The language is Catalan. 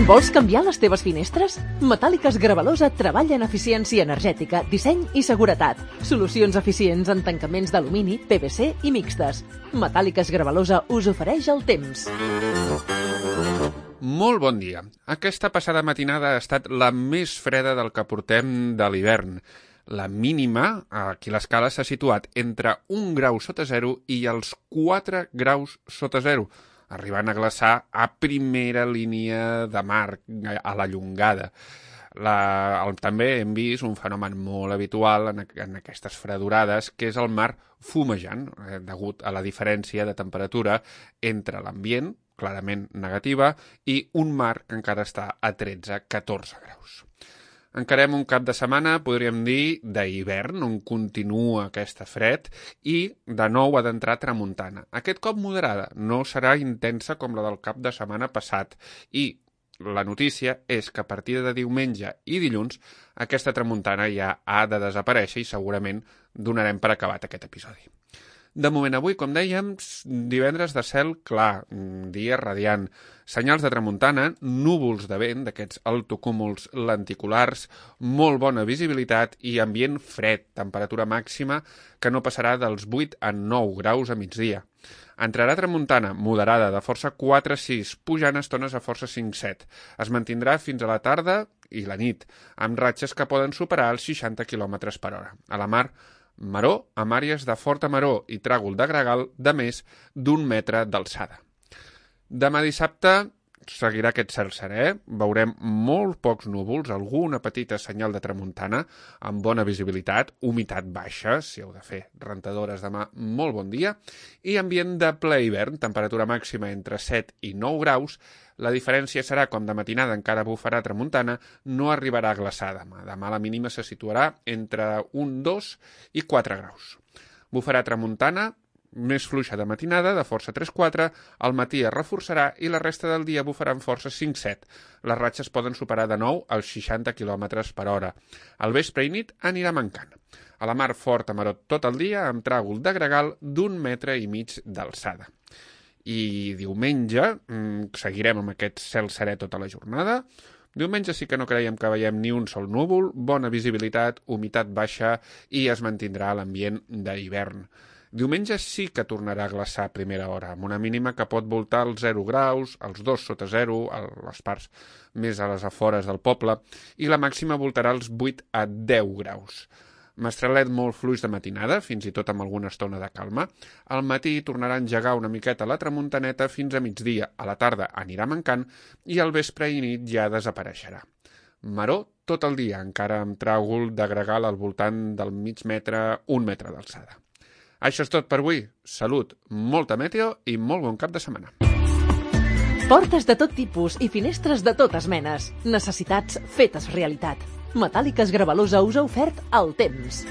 Vols canviar les teves finestres? Metàl·liques Gravalosa treballa en eficiència energètica, disseny i seguretat. Solucions eficients en tancaments d'alumini, PVC i mixtes. Metàl·liques Gravalosa us ofereix el temps. Molt bon dia. Aquesta passada matinada ha estat la més freda del que portem de l'hivern. La mínima, aquí a l'escala, s'ha situat entre 1 grau sota zero i els 4 graus sota zero, arribant a glaçar a primera línia de mar, a la llongada. També hem vist un fenomen molt habitual en aquestes fredurades, que és el mar fumejant, degut a la diferència de temperatura entre l'ambient, clarament negativa, i un mar que encara està a 13-14 graus. Encarem un cap de setmana, podríem dir, d'hivern, on continua aquesta fred, i de nou ha d'entrar tramuntana. Aquest cop moderada, no serà intensa com la del cap de setmana passat, i la notícia és que a partir de diumenge i dilluns aquesta tramuntana ja ha de desaparèixer i segurament donarem per acabat aquest episodi. De moment avui, com dèiem, divendres de cel clar, dia radiant, senyals de tramuntana, núvols de vent, d'aquests altocúmuls lenticulars, molt bona visibilitat i ambient fred, temperatura màxima que no passarà dels 8 a 9 graus a migdia. Entrarà tramuntana moderada de força 4-6, pujant a estones a força 5-7. Es mantindrà fins a la tarda i la nit, amb ratxes que poden superar els 60 km per hora. A la mar, maró amb àrees de forta maró i tràgol de gregal de més d'1 metre d'alçada. Demà dissabte seguirà aquest cel serè, veurem molt pocs núvols, alguna petita senyal de tramuntana, amb bona visibilitat, humitat baixa, si heu de fer rentadores demà, molt bon dia, i ambient de ple hivern, temperatura màxima entre 7 i 9 graus, la diferència serà, com de matinada encara bufarà tramuntana, no arribarà a glaçar demà. Demà la mínima se situarà entre 1, 2 i 4 graus. Bufarà tramuntana, més fluixa de matinada, de força 3-4, al matí es reforçarà i la resta del dia bufarà amb força 5-7. Les ratxes poden superar de nou els 60 km per hora. Al vespre i nit anirà mancant. A la mar forta marot tot el dia, amb tràgol de gregal d'1,5 metre d'alçada. I diumenge seguirem amb aquest cel serè tota la jornada. Diumenge sí que no creiem que veiem ni un sol núvol, bona visibilitat, humitat baixa i es mantindrà l'ambient d'hivern. Diumenge sí que tornarà a glaçar a primera hora, amb una mínima que pot voltar els 0 graus, els 2 sota 0, a les parts més a les afores del poble, i la màxima voltarà els 8 a 10 graus. Mestralet molt fluix de matinada, fins i tot amb alguna estona de calma. Al matí tornarà a engegar una miqueta la tramuntaneta fins a migdia. A la tarda anirà mancant i al vespre i nit ja desapareixerà. Maró tot el dia, encara amb tràgol de gregal al voltant del mig metre, 1 metre d'alçada. Això és tot per avui. Salut, molta meteo i molt bon cap de setmana. Portes de tot tipus i finestres de totes menes. Necessitats fetes realitat. Metàl·liques Gravalosa us ha ofert el temps.